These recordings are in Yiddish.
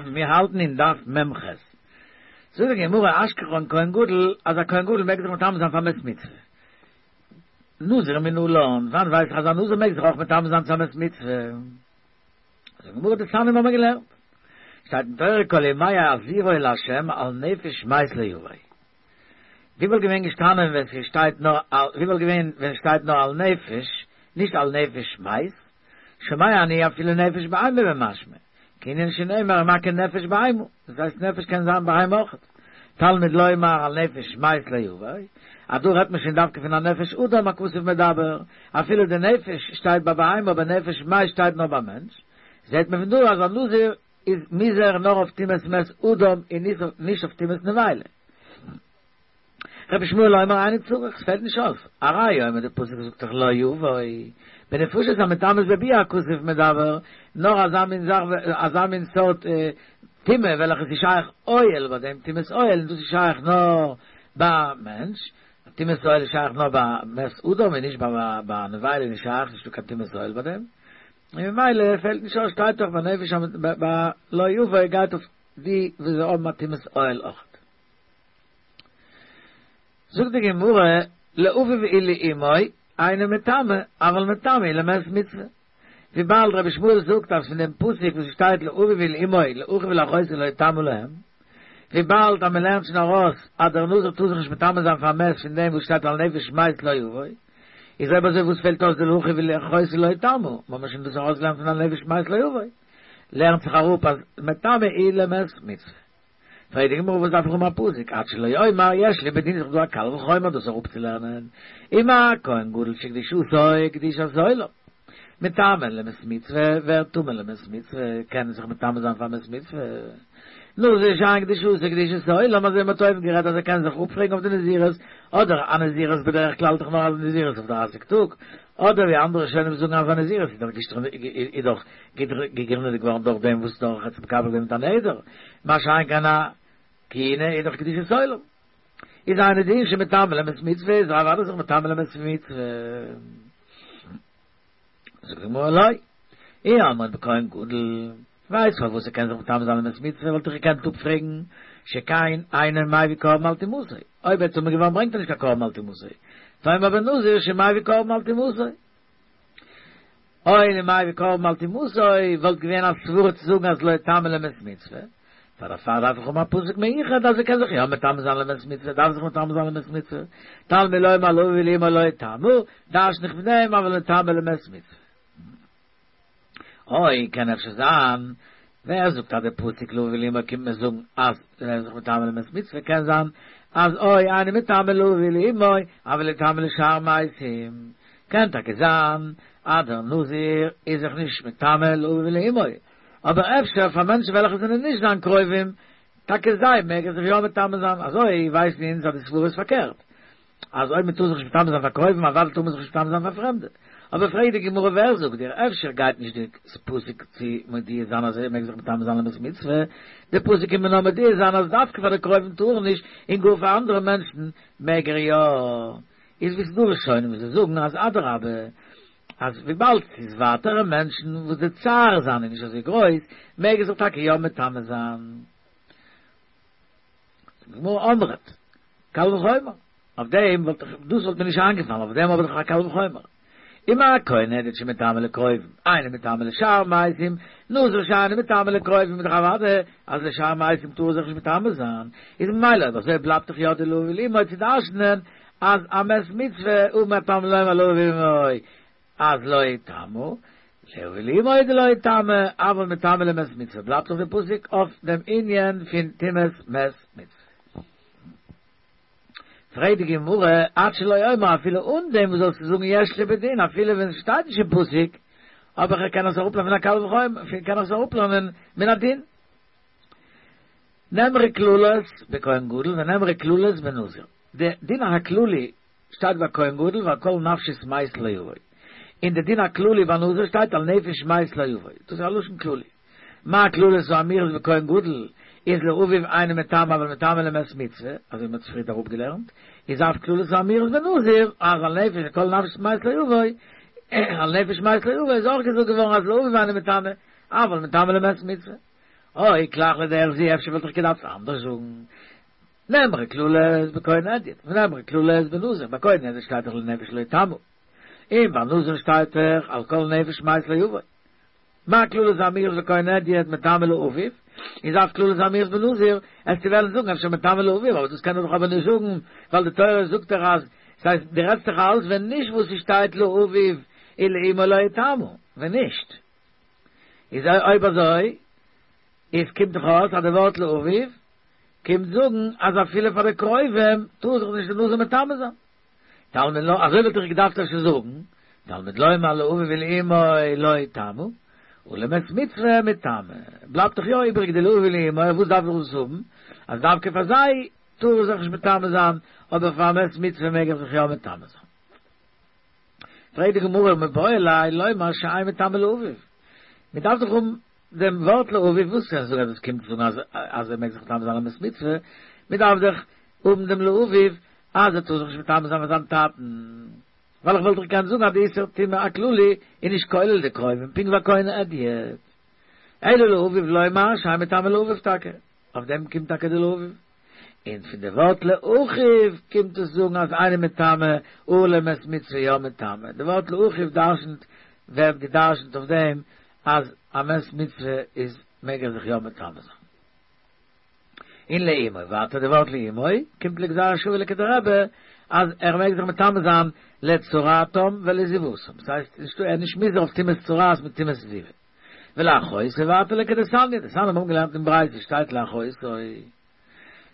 מיר האלטן אין דף מ ח. זאגט די גמרא אשכחן כהן גדול אז א כהן גדול מעג זיך מטמא זיין פאר מת מצוה. נזיר מנלן, וואנען ווייס איך אז א נזיר מעג זיך אויך מטמא זיין צו א מת מצוה? זאגט די גמרא דתניא האבן מיר געלערנט. שטייט אין תורה כל ימי הזירו לה' על נפש מת לא יבוא. ווי וואלט געווען געשטאנען ווען ס'שטייט נאר על ווי וואלט געווען ווען ס'שטייט נאר על נפש נישט על נפש מת? שומע אני אפילו נפש בהמה במשמע, כענין שנאמר מכה נפש בהמה, דאס הייסט נפש קען זיין בהמה אויכעט. תלמוד לומר על נפש מת לא יבוא, אז דא רעדט מען שוין דווקא פון א נפש אדם הכתוב מדבר, אפילו די נפש שטייט ביי בהמה אבער נפש מת שטייט נאר ביי מענטש, זעט מען פון דא אז א נזיר איז מוזהר נאר אויף טומאת מת אדם און נישט אויף טומאת נבילה. רבי ישמעאל אומר אינו צריך, ס'פעלט נישט אויס, הראיה אומר די פסוק זאגט דאך לא יבוא, בנפשות המטמאות בביאה הכתוב מדבר, נאר אזא מין זאך אזא מין סארט טומאה וועלכע ס'איז שייך אוהל ביי דעם טומאת אוהל און דאס איז שייך נאר ביי מענטש, טומאת אוהל איז שייך נאר ביי מת אדם און נישט ביי נבילה איז נישט שייך, נישטא קיין טומאת אוהל ביי דעם. און ממילא פעלט נישט אויס שטייט דאך בנפש ביי לא יבוא גייט אויף די וואס זיי האבן א טומאת אוהל אויכעט. זאגט די גמרא לאביו ולאמו אינו מטמא אבל מטמא למת מצוה וויבאלד רבי ישמעאל זאגט אז פון דעם פסוק וואס שטייט לאביו ולאמו לאחיו ולאחותו לא יטמא להם וויבאלד אז מען לערנט שוין ארויס אז דער נזיר טאר זיך נישט מטמא זיין פאר מת פון דעם וואס שטייט על נפש מת לא יבוא איז אויב אזוי וואס פעלט אויס די לאחיו ולאחותו לא יטמא? מ'האט מיר שוין דאס ארויסגעלערנט פון על נפש מת לא יבוא. לערנט זיך אראפ אז מטמא הוא למת מצוה. פרעגט די גמרא וואס דארף איך האבן א פסוק עד שלא אומר יש לי בדין איז דאך דא א קל וחומר דאס אראפצולערנען ומה כהן גדול שקדושתו קדושת עולם מטמא למת מצוה ווערט טמא למת מצוה קען זיך מטמא זיין פאר מת מצוה נזיר שאין קדושתו קדושת עולם אזוי מ'האט אויבן גערעדט אז ער קען זיך אפפרעגן אויף די נזירות אדער א נזירות בדרך כלל דאך נאר א נזירות אויף דרייסיג טאג אדער ווי אנדערע ראשונים זאגן אז א נזירות איז דאך איז דאך געגרינדעט געווארן דורך דעם וואס דורך ער האט מקבל געווען מיט א נדר מה שאין כן א כהונה איז דאך קדושת עולם איז אינו דין שמטמא למת מצוה איז אוודאי זיך מטמא למת מצוה. זאגט די גמרא לא, אי אמרת בכהן גדול, ווייסט פארוואס ער קען זיך מטמא זיין למת מצוה וואלט איך געקענט אפפרעגן שכן אינו מביא קרבן על טומאתו, אויב ער איז טמא געווארן ברענגט ער נישט קיין קרבן על טומאתו, תאמר בנזיר שמביא קרבן על טומאתו. הואיל ומביא קרבן על טומאתו וואלט געווען א סברה צו זאגן אז לא יטמא למת מצוה, פאר דערפאר דארף איך האבן א פסוק מיוחד אז ער קען זיך יא מטמא זיין למת מצוה, דארף זיך מטמא זיין למת מצוה, תלמוד לומר לאביו ולאמו לא יטמא, דרש'ן איך פון דעם אבל מטמא למת מצוה. אוי, קען אפשר זיין, ווער זאגט אז די פסוק לאביו ולאמו קומט מיר זאגן אז ער איז זיך מטמא למת מצוה, קען זיין אז או אינו מטמא לאביו ולאמו, אבל מטמא לשאר מתים, קען טאקע זיין אז דער נזיר איז זיך נישט מטמא לאביו ולאמו, אבער אפשר פאר מענטשן וועלכע זענען נישט זיין קרובים, טאקע זיי מעג ער זיך יא מטמא זיין, אזוי ווייסן אונז אז די סברה איז פארקערט, אז אויב מען טאר זיך נישט מטמא זיין פאר קרובים אוודאי טאר מען זיך נישט מטמא זיין פאר פרעמדע. אבער פרעגט די גמרא ווער זאגט דיר, אפשר גייט נישט די פסוק צו מודיע זיין אז ער מעג זיך מטמא זיין למת מצוה, די פסוק קומט מיר נאר מודיע זיין אז דווקא פאר די קרובים טאר ער נישט, און גאר פאר אנדערע מענטשן מעג ער יא. איז ווי ס'דא ראשונים וואס זיי זאגן אז אדרבה, אז וויבאלד ס'איז ווייטערע מענטשן וואס די צער זיינע איז נישט אזוי גרויס, מעג ער זיך טאקע יא מטמא זיין. זאגט די גמרא אמרת, קל וחומר, אויף דעם וואלט איך, דאס וואלט מיר נישט איינגעפאלן, אויף דעם האב איך דאך א קל וחומר. ומה כהן הדיוט שמטמא לקרובים, אינו מטמא לשאר מתים, נזיר שאינו מטמא לקרובים איז דאך אוודאי אז לשאר מתים טאר ער זיך נישט מטמא זיין, איז ממילא אויב אזוי בלייבט דאך יא די לאביו ולאמו צו דרש'נען אז א מת מצוה ומה תלמוד לומר לאביו ולאמו אז לא יטמא, לאביו ולאמו דלא יטמא, אבל מטמא למת מצוה בלייבט דאך די פסוק אויף דעם ענין פון טומאת מת מצוה. פרעגט די גמרא, עד שלא אומר אפילו אן דעם וואס זאלסטו זאגן יש לי בדין אפילו ווען עס שטייט נישט אין פסוק, אבער איך קען עס אראפלערנען פון א קל וחומר, קען איך עס אראפלערנען מן הדין. נאמרו קללות בכהן גדול ונאמרו קללות בנזיר. די דין הכללי שטייט ביי כהן גדול ועל כל נפשות מת לא יבוא. און די דין הכללי ביי נזיר שטייט על נפש מת לא יבוא. דאס איז א לשון כללי. מה קללות האמורות בכהן גדול איז לאביו אינו מטמא אבל מטמא למת מצוה, אזוי ווי מ'האט פריערט אראפגעלערנט, איז אף קללות האמורות בנזיר אז על נפש כל נפשות מת לא יבוא, על נפש מת לא יבוא איז אויך געזאגט געווארן אז לאביו אינו מטמא אבל מטמא למת מצוה. או איקלח לדרך זו אפשר וואלט איך געדארפט אנדערש זאגן. נאמרה קללות בכהן הדיוט, ונאמרה קללות בנזיר, ביי כהן הדיוט שטייט דאך לנפש לא יטמא, און ביי נזיר שטייט דאך על כל נפש מת לא יבוא. מה קללות האמורות בכהן הדיוט מטמא לאביו, איז אף קללות האמורות בנזיר, עסטו וועלן זאגן אפשר מטמא לאביו, אבער דאס קען מען דאך אבער נישט זאגן, ווייל די תורה זאגט דאך אז, ס'הייסט דו רעדסט דאך אלץ ווען נישט וואס ס'שטייט לאביו ולאמו לא יטמא, ווען נישט איז אויב אזוי איז קומט דאך אויס אז די ווארט לאביו קומט זאגן אז אפילו פאר די קרובים טאר זיך נישט די נזיר מטמא זיין. תלמוד לומר, אזוי וואלט איך געדארפט אפשר זאגן, תלמוד לומר לאביו ולאמו לא יטמא, ולמת מצוה מטמא. בלייבט דאך יא איבריג די לאביו ולאמו, וואס דארף איך דאס האבן? אז דווקא פאר זיי טאר איך זיך נישט מטמא זיין, אבער פאר א מת מצוה מעג איך זיך יא מטמא זיין. פרעגט די גמרא מיבעי ליה לומר שאין מטמא לאביו. מען דארף דאך האבן דעם ווארט לאביו, וואס קענסטו זאגן אז עס קומט זאגן אז אז ער מעג זיך מטמא זיין למת מצוה, מען דארף דאך האבן דעם לאביו אז ער טאר זיך נישט מטמא זיין פאר זיין טאטן, ווייל איך וואלט דאך געקענט זאגן אז די איסור טומאה הכללי איז נישט כולל די קרובים, פונקט ווי א כהן הדיוט. אלא לאביו לומר שאין מטמא לאביו טאקע, אויף דעם קומט טאקע די לאביו. און פון די ווארט לאחיו קומט עס זאגן אז אינו מטמא ולמת מצוה יא מטמא, די ווארט לאחיו דרשנט ווערט געדרשנט אויף דעם אז א מת מצוה איז מעג ער זיך יא מטמא זיין. און לאמו, ווייטער די ווארט לאמו קומט לגזירה שוה לכדרבי אז ער מעג זיך מטמא זיין לצרעתם ולזיבתם, ס'הייסט נישטא ער איז נישט מוזהר אויף טומאת צרעת מיט טומאת זיבה. ולאחותו ווייטער לכדתניא, דתניא מיר האבן געלערנט אין ברייתא שטייט לאחותו.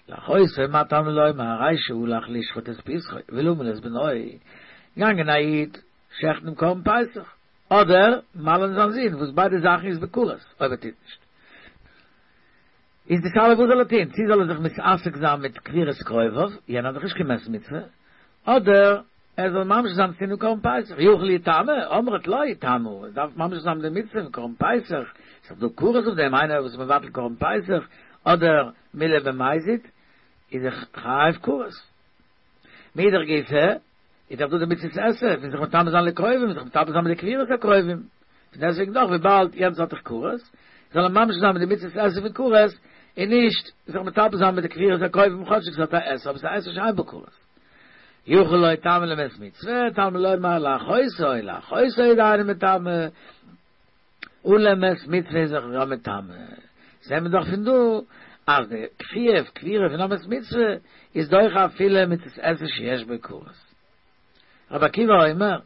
לאחותו מה תלמוד לומר הרי שהלך לשחוט את פסחו ולמול את בנו, געגאנגען א איד שעכטן דעם קרבן פסח, אדער מל'ן זיין זון, וואס ביידע זאכן איז בכרת אויב ער טוט נישט. איז די שאלה וואס זאל ער טון, צו זאל ער זיך מתעסק זיין מיט קבירת קרוביו, יענער האט דאך נישט קיין מת מצוה, אדער ער זאל ממשיך זיין צו טון דעם קרבן פסח, יכול יטמא, אמרת לא יטמא, ער דארף ממשיך זיין מיט די מצוה פון קרבן פסח, ס'איז דאך דא כרת אויף דעם, איינער וואס איז מבטל קרבן פסח, אדער מילה במזיד, איז ער חייב כרת. מאידך גיסא, איז דאך דא די מצות עשה פון זיך מטמא זיין לקרובים, זיך מטמא זיין מיט די קבירת הקרובים, פון דעסטוועגן דאך וויבאלד יענץ האט דאך כרת, זאל ער ממשיך זיין מיט די מצות עשה פון כרת, און נישט זיך מטמא זיין מיט די קבירת הקרובים כאטשיג ס'האט א עשה אבער ס'איז א עשה שאין בו כרת. יכול לא יטמא למת מצוה, תלמוד לומר לאחותו, לאחותו איז אינו מטמא, ולמת מצוה איז זיך יא מטמא. זעהן מיר דאך פון דא אז די חיוב קבירה פון א מת מצוה איז דוחה אפילו מצות עשה שיש בו כרת. רבי עקיבא אומר,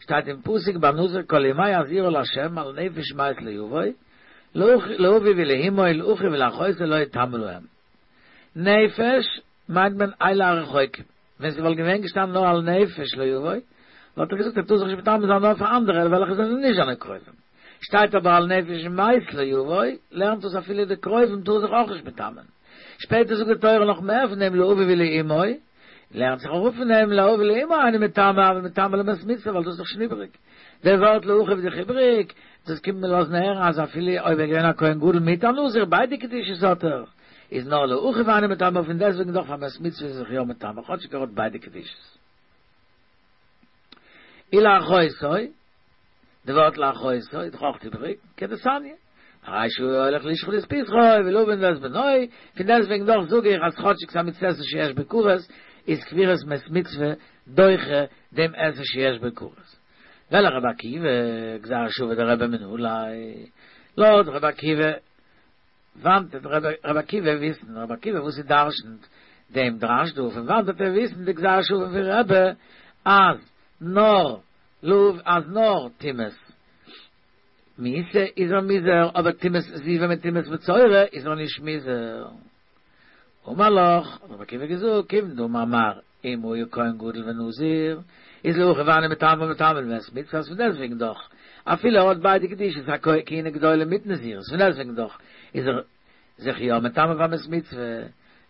שטייט אין פסוק ביי נזיר כל ימי הזירו לה' על נפש מת לא יבוא, לאביו ולאמו לאחיו ולאחותו לא יטמא להם. נפש מיינט מען אלו הרחוקים, ווען ס'וואלט געווען געשטאנען נאר על נפש לא יבוא, וואלט איך געזאגט ער טאר זיך נישט מטמא זיין נאר פאר אנדערע וועלכע זענען נישט זיינע קרובים. שטייט אבער על נפש מת לא יבוא, לערנט דאס אפילו די קרובים טאר זיך אויך נישט מטמא'ן. שפעטער זאגט די תורה נאך מער פון דעם לאביו ולאמו, לערנט זיך אראפ פון דעם לאביו ולאמו אינו מטמא אבל מטמא למת מצוה ווייל דאס איז דאך שוין איבעריג. דער ווארט לאחיו איז דאך איבעריג, דאס קומט מיר לאזן הערן אז אפילו אויב ער איז געווען א כהן גדול מיט א נזיר ביידע קדושות האט ער, איז נאר לאחיו אינו מטמא פון דעסטוועגן דאך פאר מת מצוה איז זיך יא מטמא כאטשיג ער האט ביידע קדושות. ולאחותו, די ווארט לאחותו איז דאך אויך איבריג, כדתניא, הרי שהוא הולך לשחוט את פסחו ולמול את בנו, פון דעסטוועגן דאך זאג איך אז כאטשיג ס'איז א מצות עשה שיש בו כרת, איז קבירת מת מצוה דוחה דעם עשה שיש בו כרת. ולרבי עקיבא, גזירה שוה דרבי מנא ליה, לויט רבי עקיבא, וואנעט וועט רבי עקיבא וויסן, רבי עקיבא וואס ער דרשנט דעם דרש דא, פון וואנעט וועט ער וויסן די גזירה שוה פון רבי אז נאר לאו אז נאר טומאת מיתה איז ער מוזהר אבער טומאת זיבה מיט טומאת מצורע איז ער נישט מוזהר. אמר לך, האט רבי עקיבא געזאגט, כיוון דאמר מר אם היה כהן גדול ונזיר, איז לאחיו אינו מטמא מטמא למת מצוה אז פון דעסטוועגן דאך, אפילו ער האט ביידע קדושות א כהונה גדולה מיט נזירות, פון דעסטוועגן דאך איז ער זיך יא מטמא פאר מת מצוה,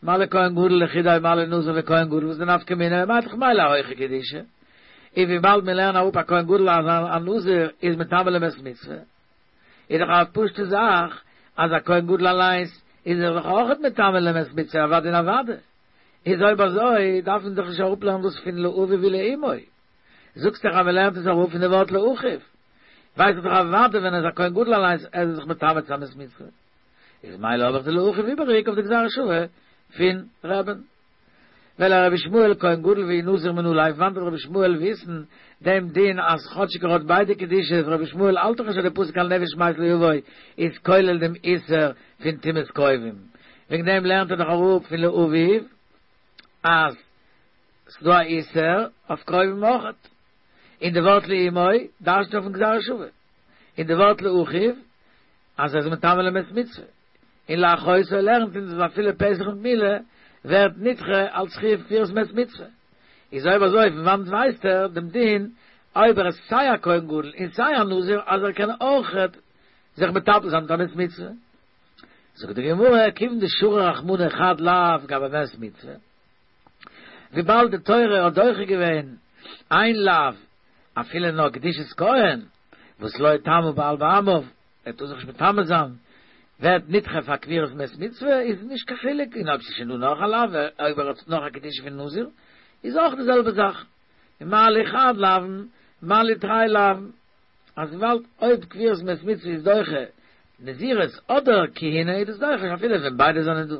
מה לכהן גדול לחודיה מה לנזיר וכהן גדול וואס איז די נפקא מינה, מה דאך מילא א הויכע קדושה, און וויבאלד מיר לערנען אראפ א כהן גדול אז א נזיר איז מטמא למת מצוה, איז דאך א פשוטע זאך אז א כהן גדול אליינס איז ער דאך אויכעט מטמא למת מצוה אוודאי און אוודאי. איז אויב אזוי דארף מען דאך נישט אראפלערנען דאס פון לאביו ולאמו. זאגסט דאך אז מען לערנט עס אראפ פון די ווארט לאחיו. ווייס איך דאך אוודאי ווען ער איז א כהן גדול אליינס ער איז זיך מטמא צו א מת מצוה. איז מילא האב איך די לאחיו איבעריג אויף די גזירה שוה פון רבי'ן. ולרבי ישמעאל כהן גדול ואי נזיר מנא ליה, וואנעט וועט רבי ישמעאל וויסן דעם דין אז כאטשיג ער האט ביידע קדושות רבי ישמעאל האלט דאך נישט אז די פסוק על נפש מת לא יבוא איז כולל דעם איסור פון טומאת קרובים וועגן דעם לערנט ער דאך אראפ פון לאביו אז ס'דא א איסור אויף קרובים אויכעט און די ווארט לאמו דרש'נט אויפן גזירה שוה און די ווארט לאחיו אז ער איז מטמא למת מצוה. און לאחותו לערנט אונז אז אפילו פסח מיט מילה ווערט נדחה אלס חיוב קבורת מת מצוה. איז אויב אזוי פון וואנעט ווייסט ער דעם דין אויב ער איז סיי א כהן גדול און סיי א נזיר אז ער קען אויכעט זיך מטפל זיין מיט א מת מצוה? זאגט די גמרא כיוון דשרי רחמנא חד לאו גבי מת מצוה וויבאלד די תורה האט דוחה געווען איין לאו אפילו נאר קדושת כהן וואס לא יטמא בעל בעמיו ער טאר זיך נישט מטמא זיין, ווערט נדחה פאר קבורת מת מצוה, איז נישט קיין חילוק, און אויב ס'איז שוין דא נאך א לאו, אויב ער האט נאך א קדושה פון נזיר, איז אויך די זעלבע זאך, און מה לי חד לאוין, מה לי תרי לאוין, אז וויבאלד אויב קבורת מת מצוה איז דוחה נזירות אדער כהונה איז דאס דוחה אפילו ווען ביידע זענען דא.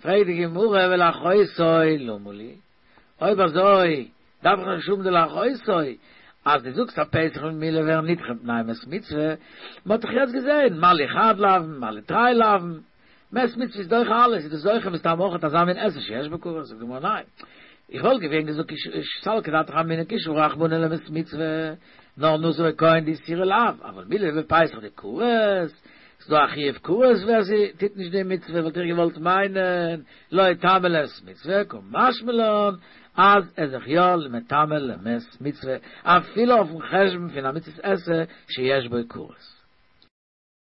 פרעגט די גמרא ולאחותו למה לי? אויב אזוי דארף איך נישט האבן די לאחותו, אז דו זאגסט אז פסח און מילה ווערן נדחה מפני מת מצוה, מען האט דאך יעצט געזען מה לי חד לאוין מה לי תרי לאוין, מת מצוה איז דוחה אלעס, איז דאס דוחה מסתם אויך אזא מין עשה שיש בו כרת, זאגט די גמרא ניין, איך וואלט געווען געזאגט סלקא דעתך אמינא כי שרי רחמנא למת מצוה, נאר נזיר וכהן דאיתסורי לאו, אבל מילה ופסח דכרת, ס'דא א חיוב כרת ווער ס'טוט נישט די מצוה וואלט איך געוואלט מיינען לא יטמא למת מצוה קא משמע לן אז ער איז זיך יא מטמא למת מצוה אפילו אויפן חשבון פון א מצות עשה שיש בו כרת.